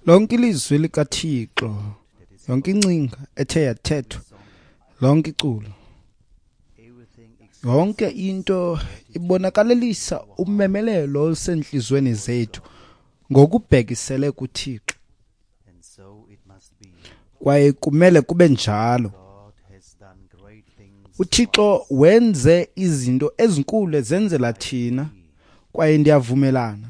Lonke ilizwi likaThixo, yonke ingcinga ethe yathethwa, lonke iculo, yonke into ibonakalelisa umemelelo olusentliziyweni zethu ngokubhekisele kuThixo. Kwaye kumele kube njalo. UThixo wenze izinto ezinkulu ezenzela thina, kwaye ndiyavumelana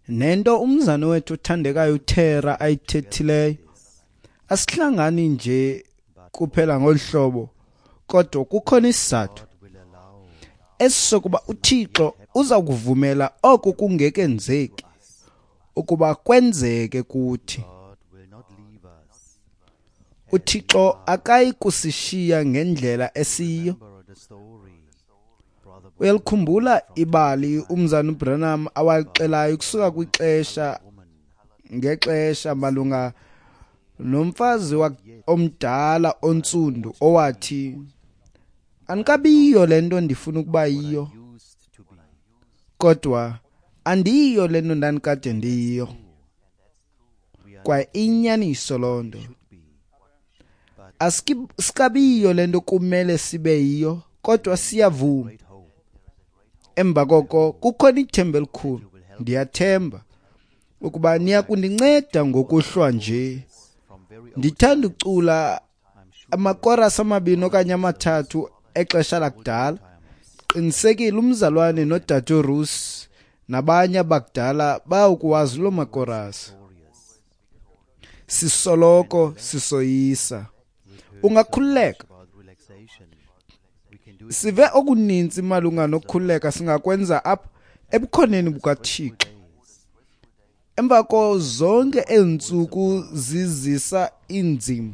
nento umzana wethu othandekayo uThera ayithethileyo. Asihlangani nje kuphela ngolu hlobo, kodwa kukhona isizathu esisokuba uThixo uza kuvumela oko kungekenzeki ukuba kwenzeke kuthi. UThixo akayi kusishiya ngendlela esiyiyo. Uyalikhumbula ibali umzana uBranham awalixelayo kusuka kwixesha ngexesha malunga nomfazi omdala ontsundu owathi, andikabiyo le nto ndifuna ukuba yiyo, kodwa andiyiyo le nto ndandikade ndiyiyo. Kwaye inyaniso loo nto. Asikabiyo le nto kumele sibe yiyo, kodwa siyavuma. Emva koko kukhona ithemba elikhulu. Ndiyathemba ukuba niya kundinceda ngokuhlwa nje. Ndithanda ucula amakorasi amabini okanye amathathu exesha lakudala. Qinisekile umzalwane nodade Rus nabanye abakudala bayawukuwazi loo makorasi. Sisoloko sisoyisa. Ungakhululeka. Sive okuninzi malunga nokukhululeka singakwenza apha ebukhoneni bukaThixo. Emva ko zonke eentsuku zizisa inzima,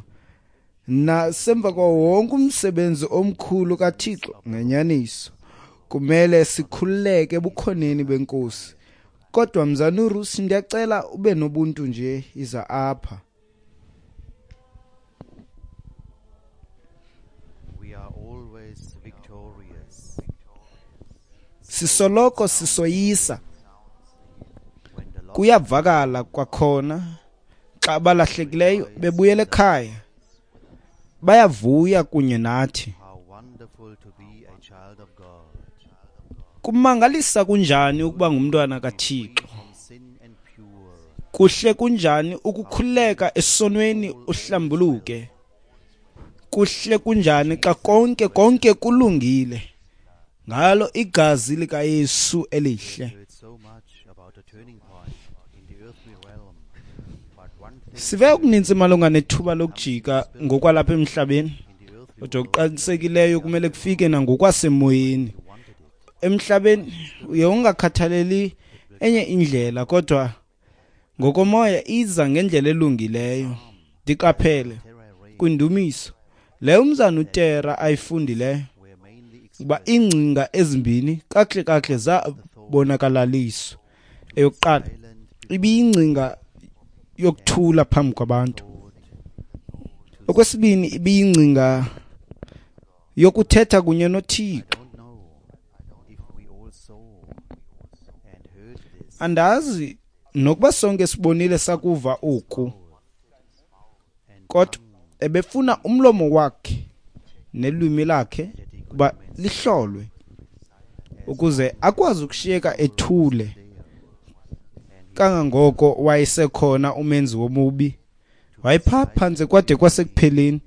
nasemva kwa wonke umsebenzi omkhulu kaThixo, ngenyaniso kumele sikhululeke ebukhoneni benkosi. Kodwa mzana uRusi, ndiyacela ube nobuntu nje, iza apha. We are always victorious. Sisoloko sisoyisa. Kuyavakala kwakhona xa abalahlekileyo bebuyela ekhaya, bayavuya kunye nathi. How wonderful to be a child of God. Kumangalisa kunjani ukuba ngumntwana kaThixo. From sin and pure. Kuhle kunjani ukukhululeka esonweni uhlambuluke. Kuhle kunjani xa konke konke kulungile ngalo igazi likaYesu elihle. Heard so much about a turning point in the earthly realm, but one thing Sive okuninzi malunga nethuba lokujika ngokwalapha emhlabeni, in the earthly kodwa okuqinisekileyo kumele kufike nangokwasemoyeni. Emhlabeni uye ungakhathaleli enye indlela, kodwa ngokomoya iza ngendlela elungileyo. Ndiqaphele kwindumiso leyo umzana uTera ayifundileyo were mainly ukuba iingcinga ezimbini kakuhle kakuhle zabonakalaliswa. Eyokuqala ibiyingcinga yokuthula phambi kwabantu. Okwesibini ibiyingcinga yokuthetha kunye noThixo. don't know if we all saw and heard this. Andazi nokuba sonke sibonile sakuva oku, kodwa ebefuna umlomo wakhe nelwimi lakhe kuba lihlolwe ukuze akwazi ukushiyeka ethule kangangoko wayesekhona umenzi womubi. Wayephaa phantse kwade kwasekupheleni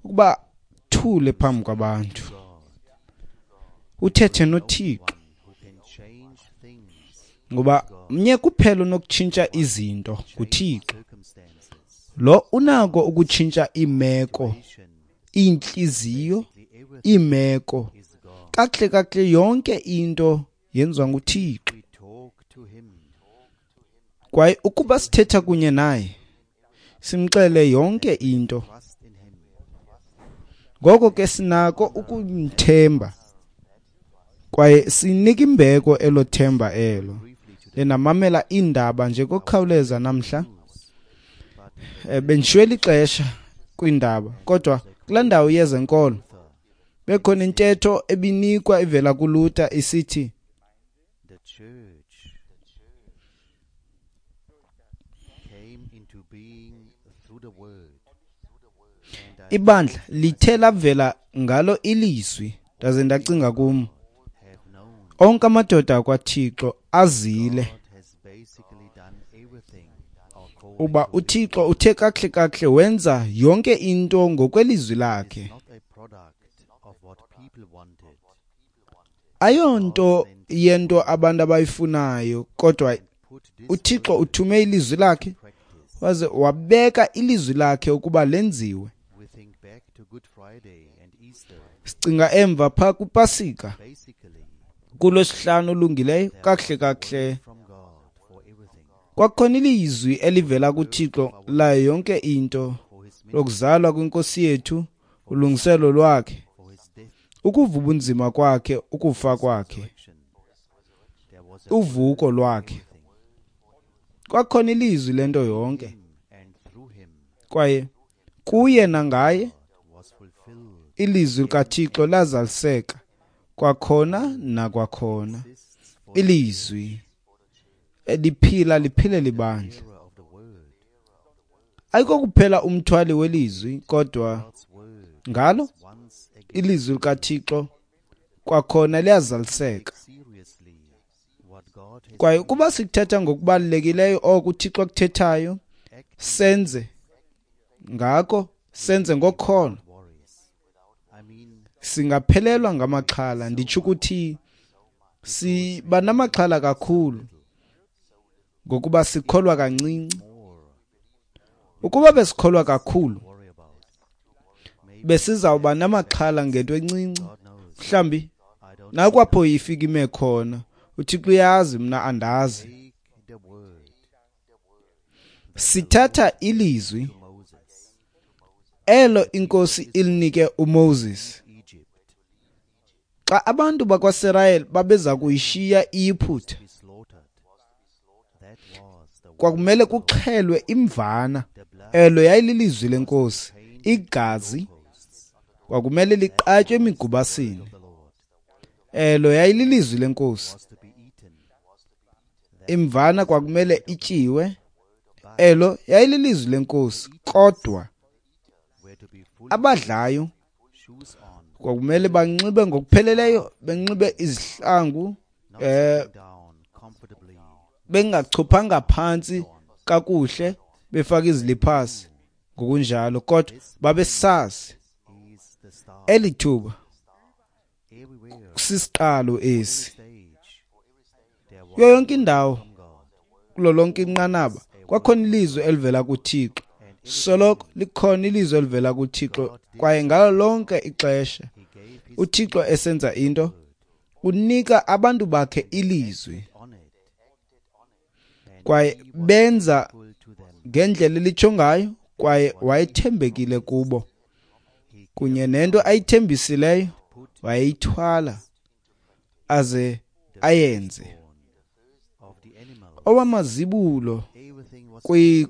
ukuba thule phambi kwabantu, uthethe noThixo, Who can change things, ngoba mnye kuphela onokutshintsha izinto, nguThixo. circumstances, Lo unako ukutshintsha iimeko, iintliziyo, iimeko. is God. Kakuhle kakuhle yonke into yenziwa nguThixo. We talk to him. Kwaye ukuba sithetha kunye naye, simxele yonke into, Trust in him. ngoko ke sinako ukumthemba kwaye sinika imbeko elo themba elo. Ndinamamela iindaba nje ngokukhawuleza namhla. Bendishiywe lixesha kwiindaba, kodwa kulaa ndawo yezenkolo bekhona intetho ebinikwa ivela kuLuther isithi The church Ibandla lithe lavela ngalo ilizwi, ndaze ndacinga kum, onke amadoda akwaThixo azile uba uThixo uthe kakuhle kakuhle wenza yonke into ngokwelizwi lakhe. Ayonto yento abantu abayifunayo, kodwa uThixo uthume ilizwi lakhe waze wabeka ilizwi lakhe ukuba lenziwe. Sicinga emva phaa kwiPasika, kuLwesihlanu olungileyo, kakuhle kakuhle kwakukhona ilizwi elivela kuThixo layo yonke into, lokuzalwa kweNkosi yethu, ulungiselo lwakhe, ukuva ubunzima kwakhe, ukufa kwakhe, uvuko lwakhe. Kwakukhona ilizwi lento yonke, kwaye kuye nangaye ilizwi likaThixo lazaliseka kwakhona nakwakhona. Ilizwi eliphila liphile libandla. Ayikho kuphela umthwali welizwi, kodwa ngalo ilizwi likaThixo kwakhona liyazaliseka. Kwaye ukuba sikuthetha ngokubalulekileyo oko uThixo akuthethayo, senze ngako, senze ngokholo, singaphelelwa ngamaxhala. Nditsho ukuthi siba namaxhala kakhulu ngokuba sikholwa kancinci. Ukuba besikholwa kakhulu, besizawuba namaxhala ngento encinci. Mhlawumbi nakwapho ifika ime khona, uThixo uyazi, mna andazi. Sithatha ilizwi elo iNkosi ilinike uMoses xa abantu bakwaSirayeli babeza kuyishiya iYiphutha. Kwakumele kuxhelwe imvana, elo yayililizwi lenkosi. Igazi kwakumele liqatywe emigubasini, elo yayililizwi lenkosi. Imvana kwakumele ityiwe, elo yayililizwi lenkosi. Kodwa abadlayo kwakumele banxibe ngokupheleleyo, benxibe izihlangu, bengachophanga phantsi kakuhle, befake iziliphasi ngokunjalo, kodwa babesazi eli thuba sisiqalo esi. Kuyo yonke indawo, kulo lonke inqanaba, kwakhona ilizwi elivela kuThixo. Soloko likhona ilizwi elivela kuThixo, kwaye ngalo lonke ixesha uThixo esenza into, unika abantu bakhe ilizwi, kwaye benza ngendlela elitsho ngayo, kwaye wayethembekile kubo. Kunye nento ayithembisileyo wayeyithwala aze ayenze. Owamazibulo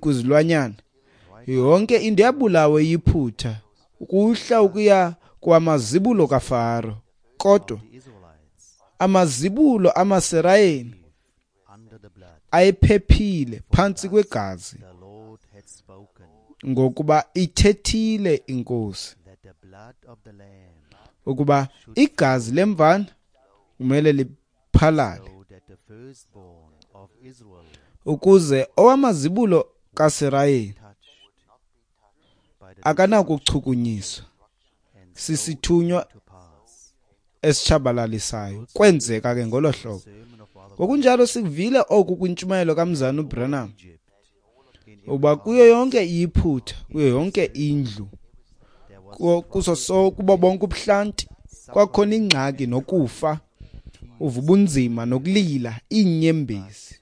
kwizilwanyana, yonke into yabulawa yiphutha ukuhla ukuya kwamazibulo kaFaro. Kodwa amazibulo amaSirayeli ayephephile phantsi kwegazi, ngokuba ithethile iNkosi ukuba igazi lemvana kumele liphalale, ukuze owamazibulo kaSirayeli akanakuchukunyiswa sisithunywa esitshabalalisayo. Kwenzeka ke ngolo hlobo. Ngokunjalo sikuvile oku kwintshumayelo kaMzana uBranham, uba kuyo yonke iyiphutha, kuyo yonke indlu, kuso kubo bonke ubuhlanti, kwakhona ingxaki nokufa, uva ubunzima nokulila, iinyembezi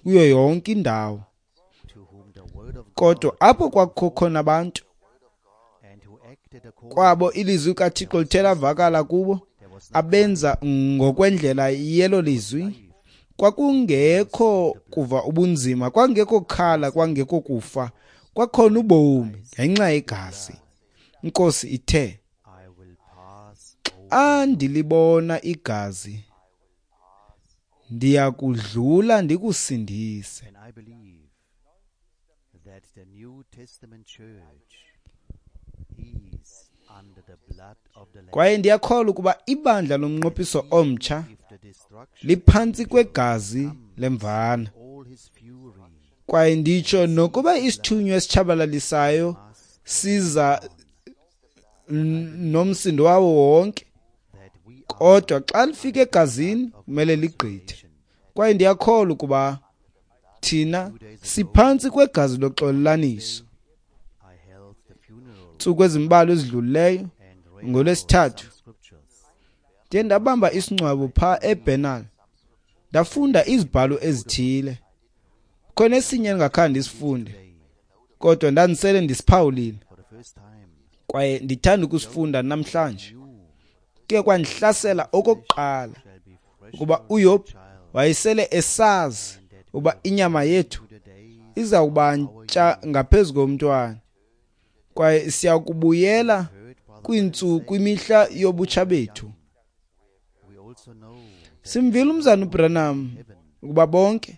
kuyo yonke indawo. Kodwa apho kwakukho khona abantu kwabo ilizwi kaThixo lithe lavakala kubo, abenza ngokwendlela yelo lizwi, kwakungekho kuva ubunzima, kwakungekho khala, kwakungekho kufa, kwakhona ubomi ngenxa yegazi. Inkosi ithe, xa ndilibona igazi, ndiyakudlula ndikusindise. that the New Testament church is under the blood of the Lamb. Kwaye ndiyakholwa ukuba ibandla lomnqophiso omtsha If the destruction liphantsi kwegazi lemvana. all his fury Kwaye nditsho nokuba isithunywa esitshabalalisayo siza nomsindo wawo wonke, that we are kodwa xa lifika egazini kumele ligqithe. Kwaye ndiyakholwa ukuba thina siphantsi kwegazi loxolelaniso. I held the funeral Ntsuku ezimbalwa ezidlulileyo and read ngolwesithathu some scriptures. ndiye ndabamba isingcwabo phaa eBernal, ndafunda izibhalo ezithile. Khona esinye endingakhange ndisifunde, kodwa ndandisele ndisiphawulile For the first time, kwaye ndithanda ukusifunda namhlanje. you Kuye kwandihlasela okokuqala shall be fresh ukuba uYob wayesele esazi ukuba inyama yethu to the days iza kuba ntsha ngaphezu komntwana, kwaye siya kubuyela heard Brother kwintsuku kwimihla yobutsha bethu. We also know that Simvile umzana uBranham ukuba bonke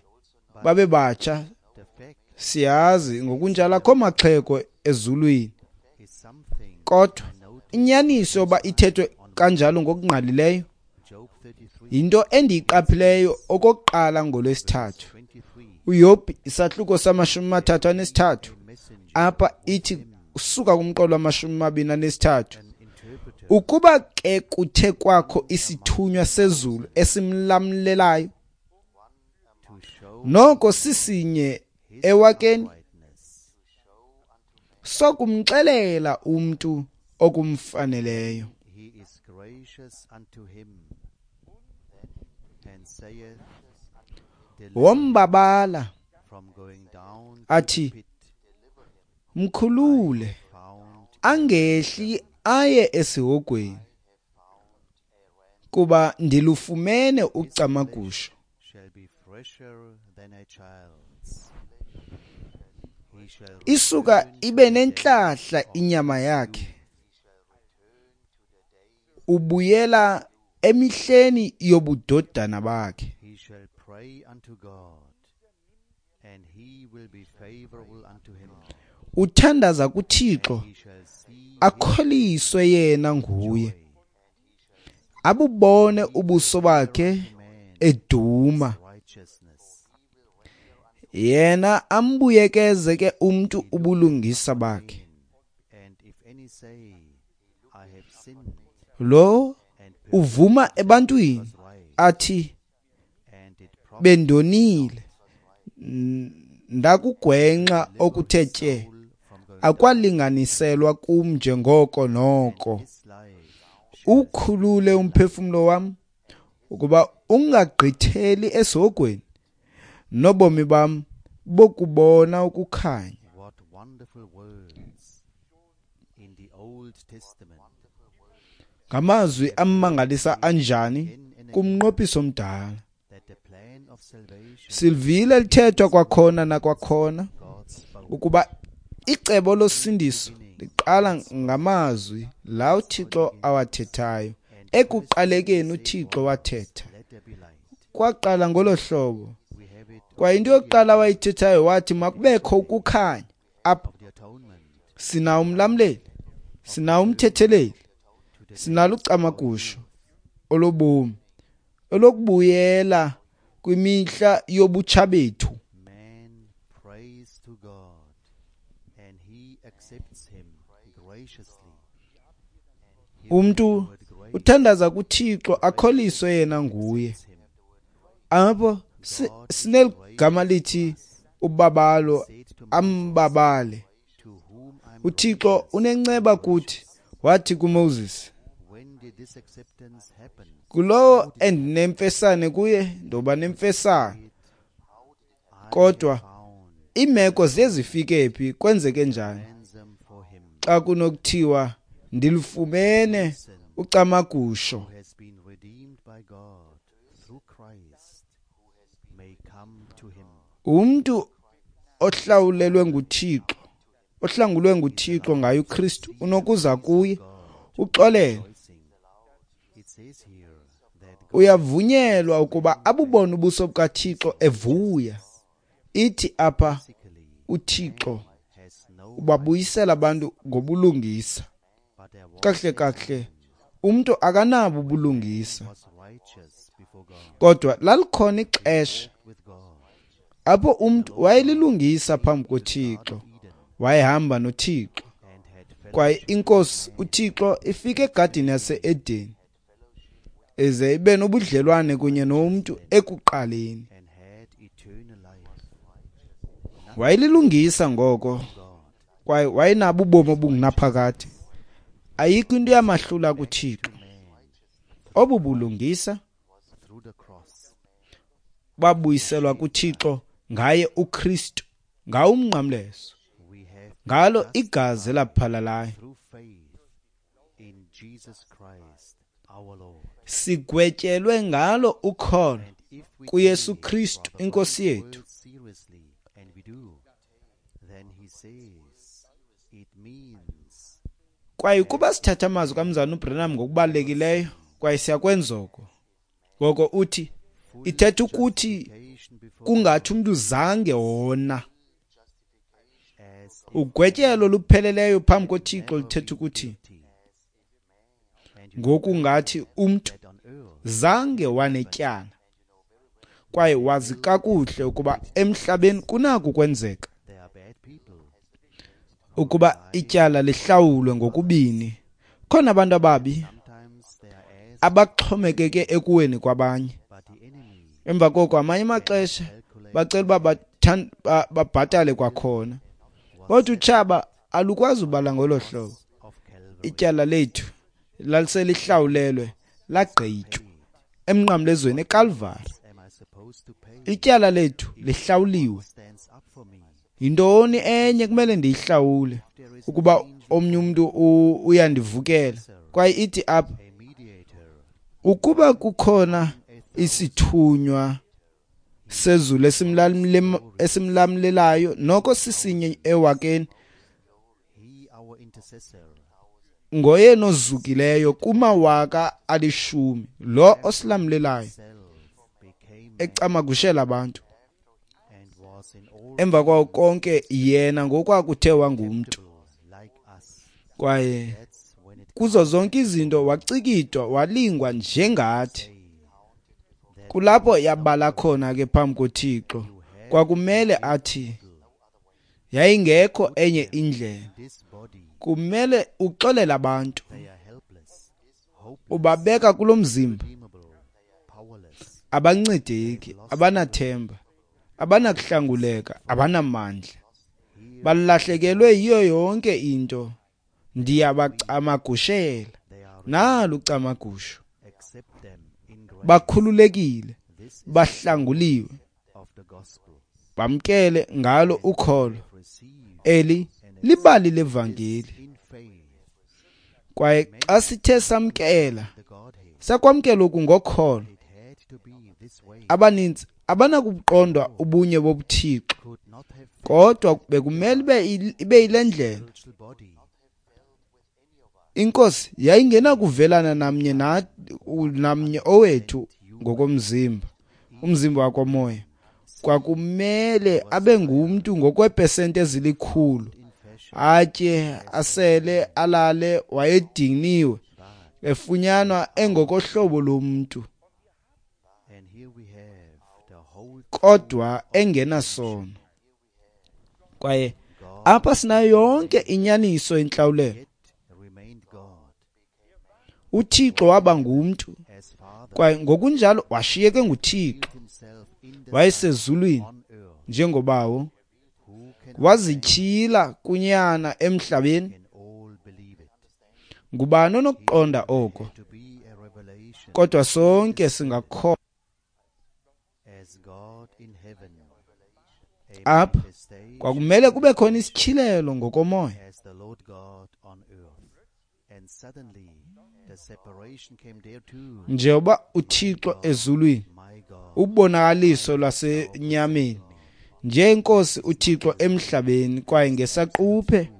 babe batsha, the fact siyazi ngokunjalo akho maxhego ezulwini, is something kodwa I noticed. inyaniso yoba ithethwe kanjalo ngokungqalileyo Job 33 yinto endiyiqaphileyo okokuqala ngolwesithathu. 23 uYobhi isahluko sama-33 a messenger, apha ithi usuka kumqolo wama-23, an interpreter ukuba ke kuthe kwakho isithunywa sezulu esimlamlelayo, to show noko sisinye ewakeni uprightness. sokumxelela umntu okumfaneleyo. He is gracious unto him and saith, Deliver Wombabala from going down to the athi, pit, mkhulule found angehli aye esihogweni, kuba ndilufumene ucamagusho. shall be fresher than a child's. He shall Isuka return to ibe the days nentlahla of inyama his yakhe, youth. ubuyela emihleni yobudodana bakhe. He shall pray unto God, and he will be favorable unto him. Uthandaza kuThixo And he shall see his akholiswe yena nguye, joy. abubone ubuso bakhe Man eduma, righteousness. yena ambuyekeze ke umntu ubulungisa bakhe. And if any say, I have sinned Lo and uvuma ebantwini was right, athi and it profit bendonile, ndakugwenxa okuthe tye, soul from going akwalinganiselwa kum njengoko noko. his life shall Ukhulule umphefumlo wam ukuba ungagqitheli esihogweni, nobomi bam bokubona ukukhanya. What wonderful words in the Old Testament. Ngamazwi amangalisa anjani Again and again kumnqophiso omdala. that the plan of salvation Silvile lithethwa kwakhona nakwakhona God spoke ukuba icebo losindiso liqala ngamazwi la uThixo awathethayo. Ekuqalekeni uThixo wathetha. let there be light. Kwaqala ngolo hlobo. We have it Kwaye into yokuqala wayithethayo wathi makubekho ukukhanya. Apha of the atonement sinawo umlamleli, sinawo umthetheleli, to the sinalo ucamagusho olobomi olokubuyela kwimihla yobutsha bethu. man prays to God and he accepts him graciously. He Umntu the word grace uthandaza kuThixo akholiswe yena nguye. accepts him. Apho sineligama lithi ubabalo Said to Moses, ambabale. to whom I'm uThixo gracious, unenceba kuthi, wathi kuMoses, When did this acceptance happen? kulowo endinemfesane kuye ndoba nemfesane. I Kodwa have found iimeko ziye zifike phi, kwenzeke njani ransom for him xa kunokuthiwa ndilufumene ucamagusho? who has been redeemed by God through Christ may come to him. Umntu ohlawulelwe nguThixo, ohlangulwe nguThixo ngaye uKristu, unokuza kuye uxolele. Rejoicing. It says here that God Uyavunyelwa ukuba abubone ubuso bukaThixo evuya. Ithi apha physically uThixo Ubabuyisela abantu ngobulungisa. Kakuhle kakuhle, umntu akanabo ubulungisa. Kodwa lalikhona ixesha apho umntu wayelilungisa phambi koThixo, wayehamba noThixo. Kwaye iNkosi uThixo ifike egadini yase-Edeni ize ibe nobudlelwane kunye nomntu ekuqaleni. Wayelilungisa ngoko kwaye wayenabo ubomi obungunaphakade. Ayikho into yamahlula kuThixo. Obu bulungisa babuyiselwa kuThixo ngaye uKristu, ngawo umnqamlezo, ngalo igazi elaphalalayo. Sigwetyelwe ngalo ukholo kuYesu Kristu iNkosi yethu. Kwaye ukuba sithatha amazwi kaMzalwana uBranham ngokubalulekileyo, kwaye siyakwenza oko, ngoko uthi ithetha ukuthi kungathi umntu zange wona. Ugwetyelo olupheleleyo phambi koThixo lithetha ukuthi ngokungathi umntu zange wanetyala, kwaye wazi kakuhle ukuba emhlabeni kunako ukwenzeka ukuba ityala lihlawulwe ngokubini. Khona abantu ababi abaxhomekeke ekuweni kwabanye. Emva koko amanye amaxesha bacela uba babhatale kwakhona. Kodwa utshaba alukwazi ubala ngolo hlobo. Ityala lethu laliselihlawulelwe lagqitywa emnqamlezweni eKalvari. Ityala lethu lihlawuliwe. Yintoni enye kumele ndiyihlawule ukuba omnye umntu uyandivukela? Kwaye ithi apha, ukuba kukhona isithunywa sezulu esimlamlelayo, noko sisinye ewakeni, ngoyena ozukileyo kumawaka 10,000, lo osilamlelayo ecamagushela abantu. Emva kwawo konke yena ngokwakuthe wangumntu, kwaye kuzo zonke izinto wacikidwa walingwa njengathi. Kulapho yabala khona ke phambi koThixo, kwakumele athi yayingekho enye indlela. Kumele uxolele abantu, ubabeka kulo mzimba, abancedeki, abanathemba, abanakuhlanguleka, abanamandla, balahlekelwe yiyo yonke into. Ndiyabacamagushela, nalu ucamagusho. Bakhululekile, bahlanguliwe, bamkele ngalo ukholo. Eli libali levangeli. Kwaye xa sithe samkela, sakwamkela oku ngokholo. Abaninzi abanakuqonda ubunye bobuThixo, kodwa bekumele ibe yile ndlela. Inkosi yayingenakuvelana namnye namnye owethu ngokomzimba, umzimba wakomoya. Kwakumele abe ngumntu ngokweepesenti ezilikhulu, atye, asele, alale, wayediniwe, efunyanwa engokohlobo lomntu, kodwa engenasono. Kwaye apha sinayo yonke inyaniso yentlawulelo. uThixo waba ngumntu, kwaye ngokunjalo washiyeke nguThixo. Wayesezulwini njengobawo, wazityhila kunyana emhlabeni. Ngubani onokuqonda oko? Kodwa sonke singakholwa. Apha kwakumele kube khona isityhilelo ngokomoya. Njengoba uThixo ezulwini, ubonakaliso lwasenyameni, njenkosi uThixo emhlabeni, kwaye ngesaquphe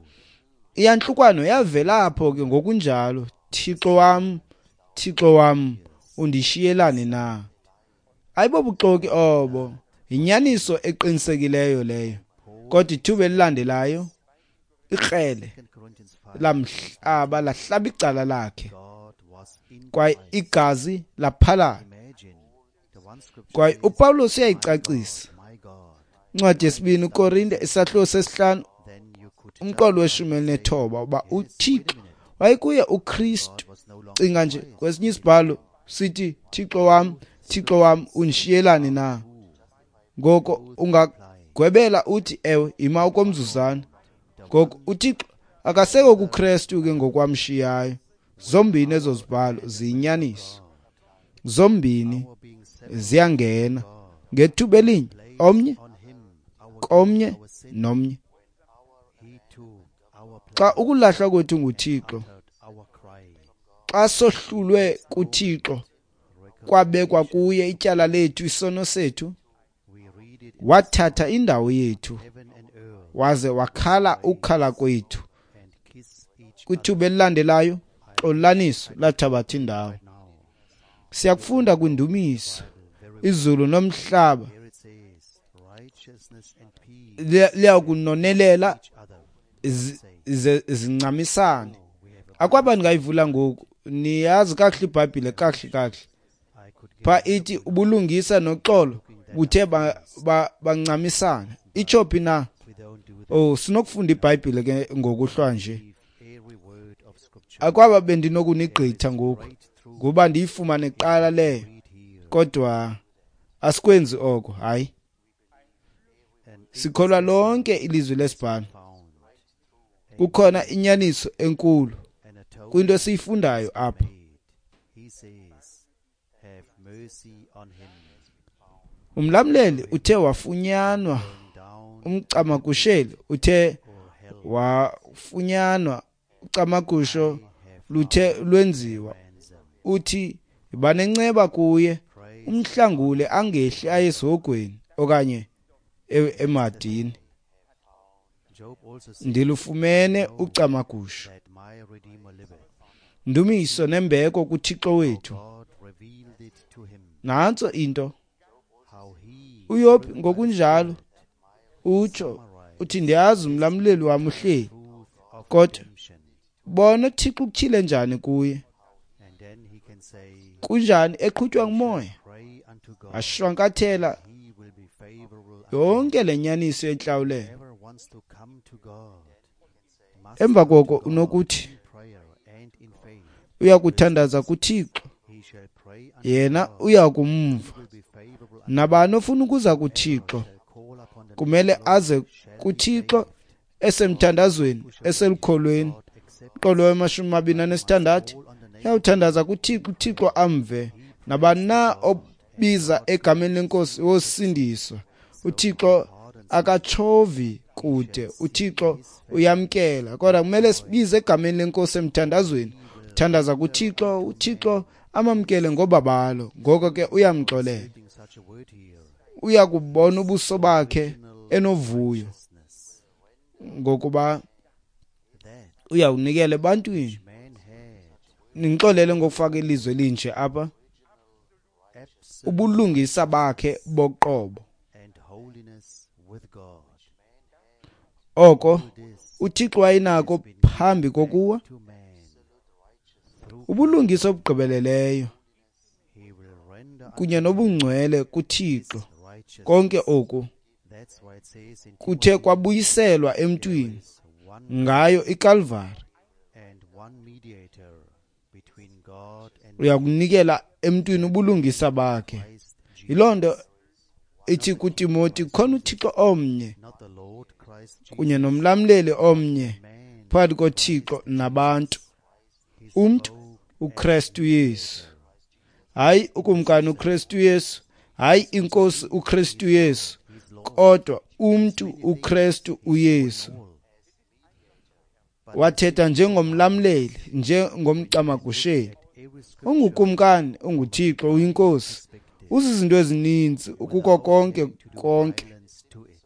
iyantlukwano yavela apho ke ngokunjalo. Thixo wam, Thixo wam, undishiyelani na? Ayibobuxoki obo, yinyaniso eqinisekileyo leyo. Kodwa ithuba elilandelayo Ikrele 2 Corinthians 5, lamhlaba lahlaba icala lakhe, God was in kwaye Christ. igazi laphalala. Imagine the one scripture Kwaye says, uPawulos "My uyayicacisa. God, my God." Incwadi yesibini uKorinte isahluko sesihlanu Then you could umqolo jump weshumi and say, elinethoba uba "Yes, wait a uThixo minute. wayekuye uKristu. God was no longer Cinga in nje Christ. kwesinye isibhalo sithi, Thixo wam, Thixo wam, undishiyelani na? Ngoko ungagwebela uthi ewe, ima okomzuzwana. Ngoko uThixo akasekho kuKristu ke ngokwamshiyayo. Zombini ezo zibhalo ziyinyaniso, zombini Our being separate ziyangena ngethuba elinye, omnye on him, our komnye our sin, nomnye. he took our place, Xa ukulahlwa kwethu nguThixo, uttered our cry. xa sohlulwe kuThixo, kwabekwa kuye ityala lethu, isono sethu, We read it in wathatha indawo yethu heaven and earth waze wakhala ukukhala kwethu. and kiss each Kwithuba elilandelayo, xolaniso lathabatha indawo. now. Siyakufunda kwindumiso, izulu nomhlaba Here it says, righteousness and peace liyakunonelela each other. zincamisane. Akwaba ndingayivula ngoku, niyazi kakuhle iBhayibhile kakuhle kakuhle. I could get Pha ithi ubulungisa noxolo buthe bancamisana. Itsho phi na? we don't do that. Oh, sinokufunda iBhayibhile ke ngokuhlwa nje. If every word of scripture Akwaba bendinokunigqitha ngoku right through ngoba ndiyifumane kuqala leyo, read here kodwa asikwenzi oko. Hayi, and sikholwa lonke ilizwi lesibhalo. found Kukhona inyaniso enkulu and atonement kwinto esiyifundayo apha. made. He says, have mercy on him. Umlamleli uthe wafunyanwa, Going down umcamagusheli uthe or hell wafunyanwa, ucamagusho have luthe lwenziwa. ransom. Uthi banenceba kuye, Praise umhlangule angehli aye esihogweni okanye emadini. Job also said Ndilufumene ucamagusho. that my Redeemer liveth. Ndumiso nembeko kuThixo wethu. God revealed it to him Nantso into. how he uYobhi ngokunjalo utsho uthi, ndiyazi umlamleli wam uhleli. truth of Kodwa redemption. bona uThixo ukutyhile njani kuye, And then he can say, kunjani eqhutywa ngumoya, pray unto God, ashwankathela he will be favorable unto yonke le nyaniso yentlawulelo. whoever wants to come to God must Emva come to koko God unokuthi in prayer and in faith. uya kuthandaza kuThixo, He shall pray unto yena God, uya kumva. he will be favorable unto Nabani ofuna ukuza kuThixo shall call upon the name kumele of the Lord aze shall be kuThixo saved. esemthandazweni, Who shall eselukholweni. God accept Umqolo wamashumi mabini anesithandathu, call on the name uyawuthandaza kuThixo, uThixo amve. Nabani na obiza egameni lenkosi wosindiswa. uThixo akatshovi kude, uThixo uyamkela, kodwa kumele sibize egameni lenkosi emthandazweni. Thandaza kuThixo, uThixo amamkele ngobabalo, ngoko ke uyamxolela. reading such a word here. Uya kubona ubuso bakhe enovuyo, Righteousness ngokuba that uyawunikela ebantwini. man had Ningixolele ngokufaka ilizwi elinje apha. absolute Ubulungisa bakhe boqobo, and holiness with God. oko All this uThixo wayenako phambi kokuwa, to man through ubulungisa obugqibeleleyo he will render kunye unto nobungcwele kuThixo. his righteousness. Konke oku That's why it says in kuthe Timothy, kwabuyiselwa there emntwini is one ngayo iKalvari. and one mediator between God and Uyakunikela emntwini ubulungisa bakhe. Christ Jesus, Yiloo nto ithi kuTimoti, khona uThixo omnye not the Lord Christ Jesus, kunye nomlamleli omnye man phakathi koThixo nabantu, he umntu spoke uKristu Yesu. Hayi ukumkani uKristu Yesu, hayi inkosi uKristu Yesu, his Lord kodwa umntu uKristu uYesu. all. Wathetha njengomlamleli, njengomcamagusheli. At every scripture Ungukumkani, unguThixo, uyinkosi, perspective, uzizinto ezininzi ukuko konke to do konke. violence to it.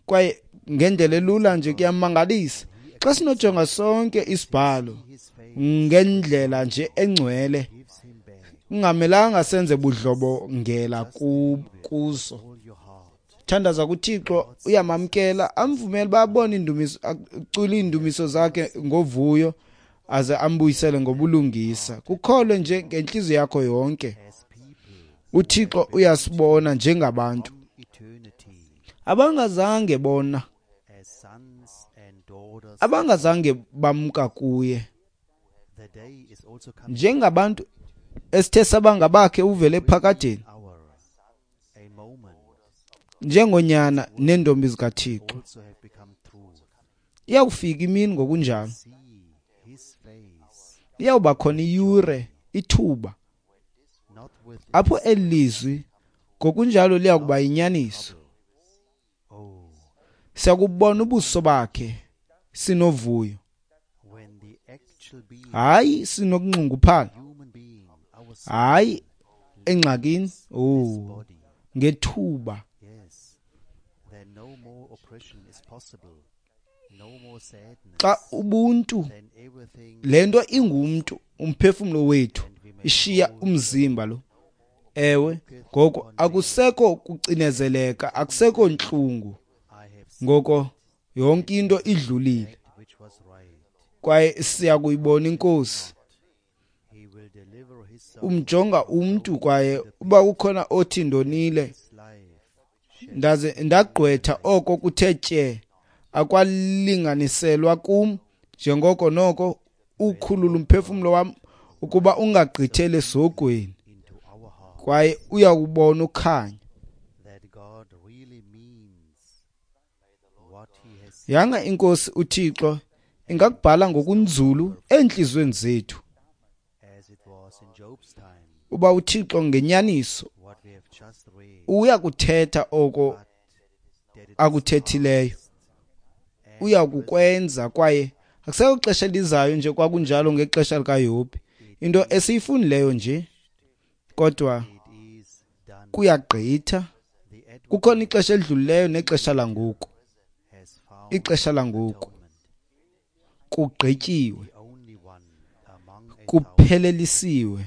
Kwaye ngendlela elula nje kuyamangalisa xa sinojonga sonke isibhalo His face ngendlela nje engcwele, gives him back kungamelanga senze budlobongela kuso. all your heart. Thandaza kuThixo, uyamamkela, amvumele babone indumiso, acule iindumiso zakhe ngovuyo, aze ambuyisele ngobulungisa. Kukholwe nje ngentliziyo yakho yonke. UThixo uyasibona njengabantu abangazange bona, abangazange bamka kuye, njengabantu esithe sabangabakhe uvele ephakadeni, njengonyana neentombi zikaThixo. Iyakufika imini ngokunjalo, iyawuba khona iyure, ithuba apho eli lizwi ngokunjalo liyakuba yinyaniso. Siyakubona ubuso bakhe sinovuyo, hayi sinokunxunguphala, hayi engxakini, ngethuba xa ubuntu, le nto ingumntu, umphefumlo wethu ishiya umzimba lo. Ewe, ngoko akusekho kucinezeleka, akusekho ntlungu, ngoko yonke into idlulile, kwaye siya kuyibona iNkosi. Umjonga umntu, kwaye uba kukhona othi ndonile, ndaze ndagqwetha oko kuthe tye, akwalinganiselwa kum, njengoko noko ukhulula umphefumlo wam ukuba ungagqitheli esihogweni, kwaye uyakubona ukhanya. Yanga iNkosi uThixo ingakubhala ngokunzulu eentliziyweni zethu, uba uThixo ngenyaniso uyakuthetha oko akuthethileyo, uyakukwenza, kwaye akusekho xesha elizayo nje kwakunjalo ngexesha likaYobhi. Into esiyifundileyo nje, kodwa kuyagqitha. Kukhona ixesha elidlulileyo nexesha langoku. Ixesha langoku kugqityiwe, kuphelelisiwe.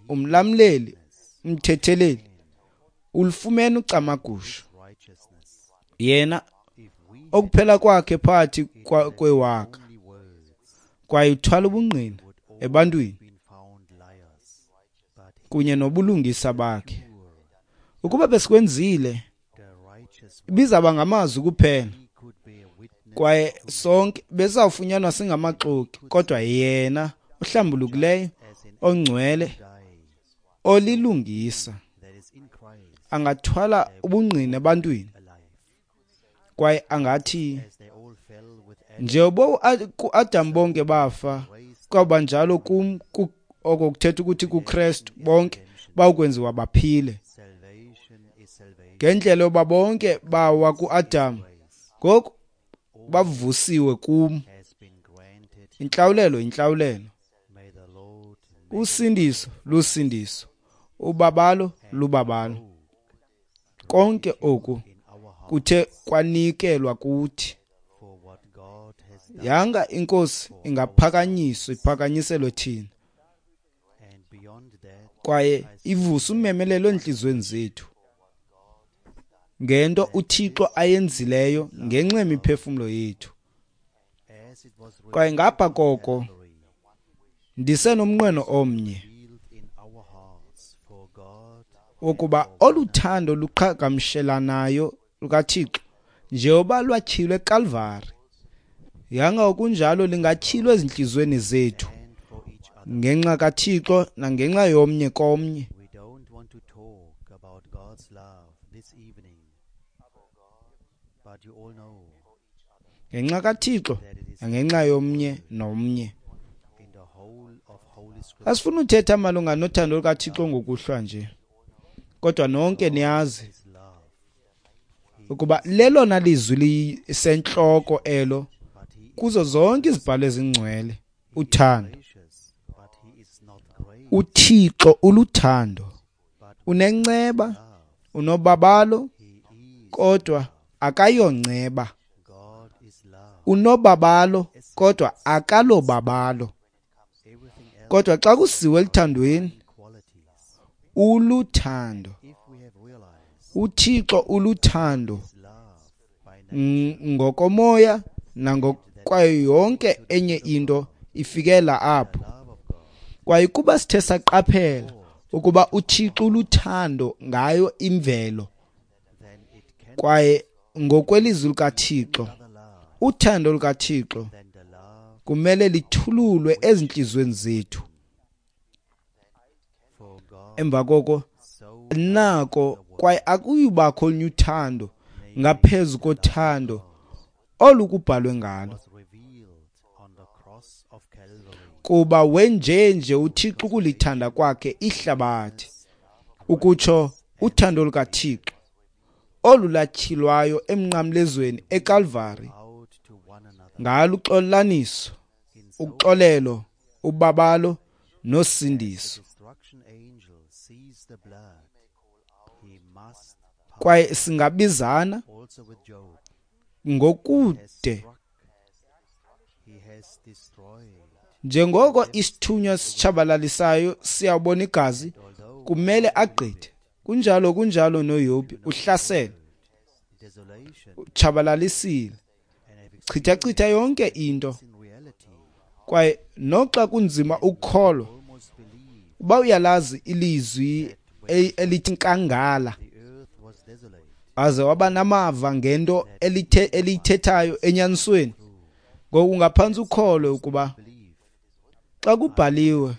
Umlamleli, umthetheleli ulufumene ucamagusho. Yena okuphela kwakhe phakathi kwewaka, kwaye uthwala ubungqina ebantwini kunye nobulungisa bakhe. Ukuba besikwenzile, ibizaba ngamazwi kuphela, kwaye sonke besawufunyanwa singamaxoki, kodwa yena ohlambulukileyo, ongcwele, olilungisa, angathwala ubungqina ebantwini, kwaye angathi njengoba kuAdam bonke bafa, kwaba njalo kum, oko kuthetha ukuthi kuKrestu bonke bawukwenziwa baphile. Ngendlela yoba bonke bawa kuAdam, ngoku bavusiwe kum. Intlawulelo yintlawulelo, usindiso lusindiso, ubabalo lubabalo. Konke oku kuthe kwanikelwa kuthi. Yanga iNkosi ingaphakanyiswa, iphakanyiselwe thina, kwaye ivuse umemelelo entliziyweni zethu ngento uThixo ayenzileyo ngenxa yemiphefumlo yethu. Kwaye ngapha koko, ndisenomnqweno omnye wokuba olu thando luqhagamshelanayo lukaThixo, njengoba lwatyhilwe eKalvari, yanga okunjalo lingatyhilwa ezintliziyweni zethu ngenxa kaThixo nangenxa yomnye komnye. We don't want to talk about God's love this evening, but you all know Ngenxa kaThixo nangenxa yomnye nomnye. in the whole of Holy Scripture, Asifuna uthetha malunga nothando lukaThixo ngokuhlwa nje, kodwa nonke niyazi His love, ukuba lelona lizwi lisentloko elo but He is kuzo zonke izibhalo ezingcwele, uthando. gracious, but He is not great, UThixo uluthando, but unenceba, love. unobabalo, He is kodwa akayonceba. God is love. Unobabalo, kodwa akalobabalo. Everything else Kodwa xa kusiwe eluthandweni, qualities. uluthando. If we have realized uThixo uluthando ngokomoya nangokwayo yonke enye into ifikela apho. Kwaye kuba sithe saqaphela ukuba uThixo uluthando ngayo imvelo, kwaye ngokwelizwi likaThixo, uthando lukaThixo kumele lithululwe ezintliziyweni zethu. Emva koko nako, kwaye akuyubakho olunye uthando ngaphezu kothando olukubhalwe ngalo. Kuba wenjenje uThixo ukulithanda kwakhe ihlabathi, ukutsho uthando lukaThixo olulatyhilwayo emnqamlezweni eKalvari, ngalo uxolelaniso, uxolelo, ubabalo nosindiso. Kwaye singabizana ngokude njengoko isithunywa sitshabalalisayo siyabona igazi, kumele agqithe. Kunjalo, kunjalo noYobhi uhlasele, utshabalalisile, chithachitha yonke into. Kwaye noxa kunzima ukukholwa, uba uyalazi ilizwi elithi nkangala, aze waba namava ngento eliyithethayo enyanisweni, ngoku ungaphantsi ukholwe ukuba xa kubhaliwe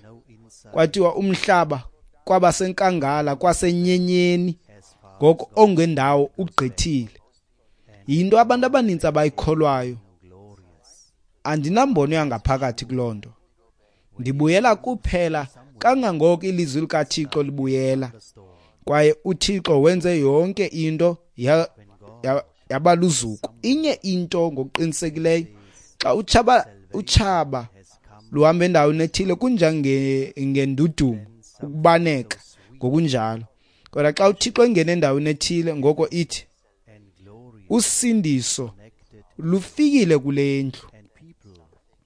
kwathiwa umhlaba kwabasenkangala kwasenyenyeni, ngoko ongendawo ugqithile. Yinto abantu abanintsi abayikholwayo. Andinambono yangaphakathi kuloo nto. Ndibuyela kuphela kangangoko ilizwi likaThixo libuyela. Kwaye uThixo wenze yonke into yaba luzuko. Inye into ngokuqinisekileyo, xa utshaba luhamba endaweni ethile kunjengendudumo, ukubaneka ngokunjalo. Kodwa xa uThixo engena endaweni ethile, ngoko ithi usindiso lufikile kule ndlu.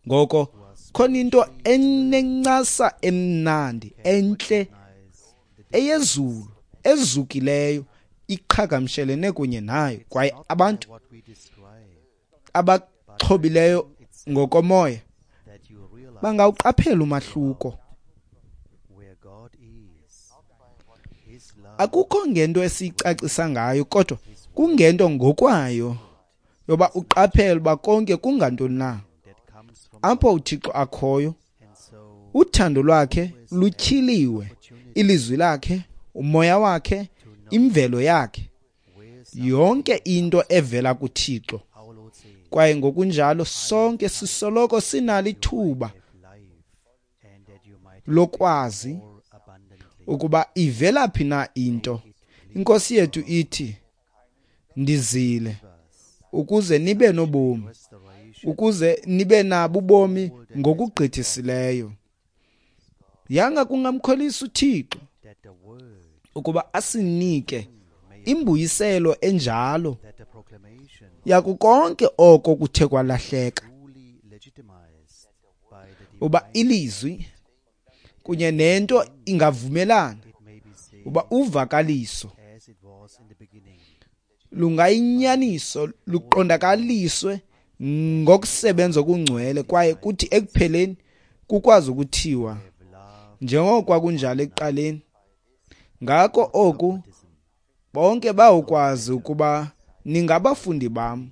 Ngoko khona into enencasa emnandi, entle, eyezulu, ezukileyo, iqhagamshelene kunye nayo. Kwaye abantu abaxhobileyo ngokomoya bangawuqaphela umahluko. Akukho ngento esiyicacisa ngayo, kodwa kungento ngokwayo yoba uqaphele uba konke kungantoni na. Apho uThixo akhoyo, uthando lwakhe lutyhiliwe, ilizwi lakhe, umoya wakhe, imvelo yakhe, yonke into evela kuThixo. Kwaye ngokunjalo sonke sisoloko sinalo ithuba lokwazi ukuba ivela phi na into. Inkosi yethu ithi, ndizile ukuze nibe nobomi, ukuze nibe nabo ubomi ngokugqithisileyo. Yanga kungamkholisa uThixo ukuba asinike imbuyiselo enjalo yaku konke oko kuthe kwalahleka, uba ilizwi kunye nento ingavumelana, uba uvakaliso lungayinyaniso luqondakaliswe ngokusebenza okungcwele, kwaye kuthi ekupheleni kukwazi ukuthiwa njengoko kwakunjalo ekuqaleni. Ngako oku bonke bawukwazi ukuba ningabafundi bam,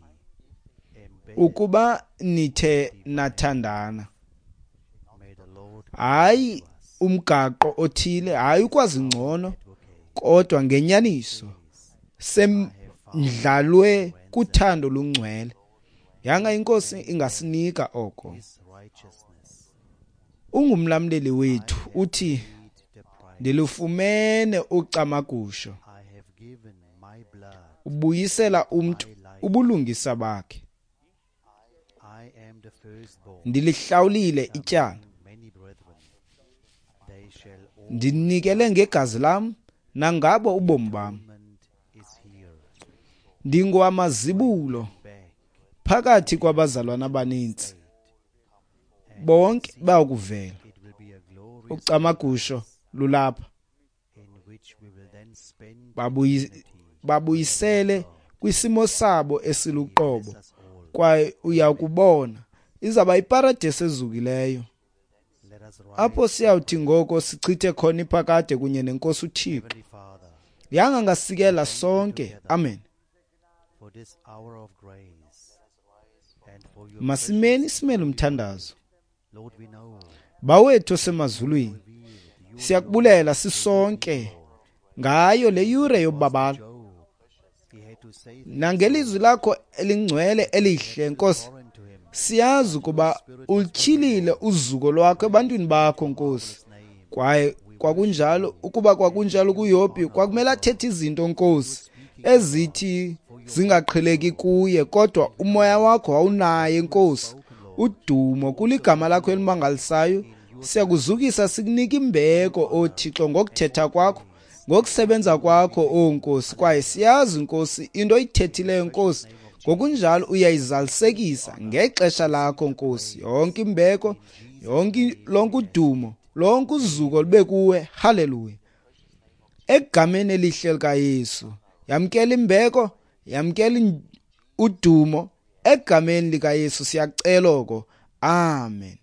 ukuba nithe nathandana. Hayi umgaqo othile, hayi ukwazi ngcono, kodwa ngenyaniso semdlalwe kuthando lungcwele. Yanga inkosi ingasinika oko. Ungumlamleli wethu, uthi ndilufumene ucamagusho. Ubuyisela umntu ubulungisa bakhe. Ndilihlawulile ityala, ndinikele ngegazi lam nangabo ubomi bam. Ndingowamazibulo phakathi kwabazalwana abaninzi, bonke bayakuvela. Ucamagusho lulapha. Babuyisele kwisimo sabo esiluqobo, kwaye uyakubona izawuba yiparadesi ezukileyo apho siyawuthi ngoko sichithe khona iphakade kunye neNkosi uThixo. Yanga ngasikela sonke. Amen. Masimeni simele umthandazo. Bawethu osemazulwini, siyakubulela sisonke ngayo le yure yobabalo nangelizwi lakho elingcwele elihle, Nkosi. Siyazi ukuba ulityhilile uzuko lwakho ebantwini bakho, Nkosi. Kwaye kwakunjalo, ukuba kwakunjalo kuYobhi, kwakumele athethe izinto, Nkosi, ezithi zingaqheleki kuye, kodwa umoya wakho wawunaye, Nkosi. Udumo kuligama lakho elimangalisayo. Siyakuzukisa, sikunika imbeko, o Thixo, ngokuthetha kwakho, ngokusebenza kwakho, o Nkosi. Kwaye siyazi, Nkosi, into oyithethileyo, Nkosi, ngokunjalo uyayizalisekisa ngexesha lakho, Nkosi. Yonke imbeko, yonke lonke udumo, lonke uzuko lube kuwe. Haleluya. Egameni elihle likaYesu, yamkela imbeko, yamkela udumo. Egameni likaYesu siyacela oko. Amen.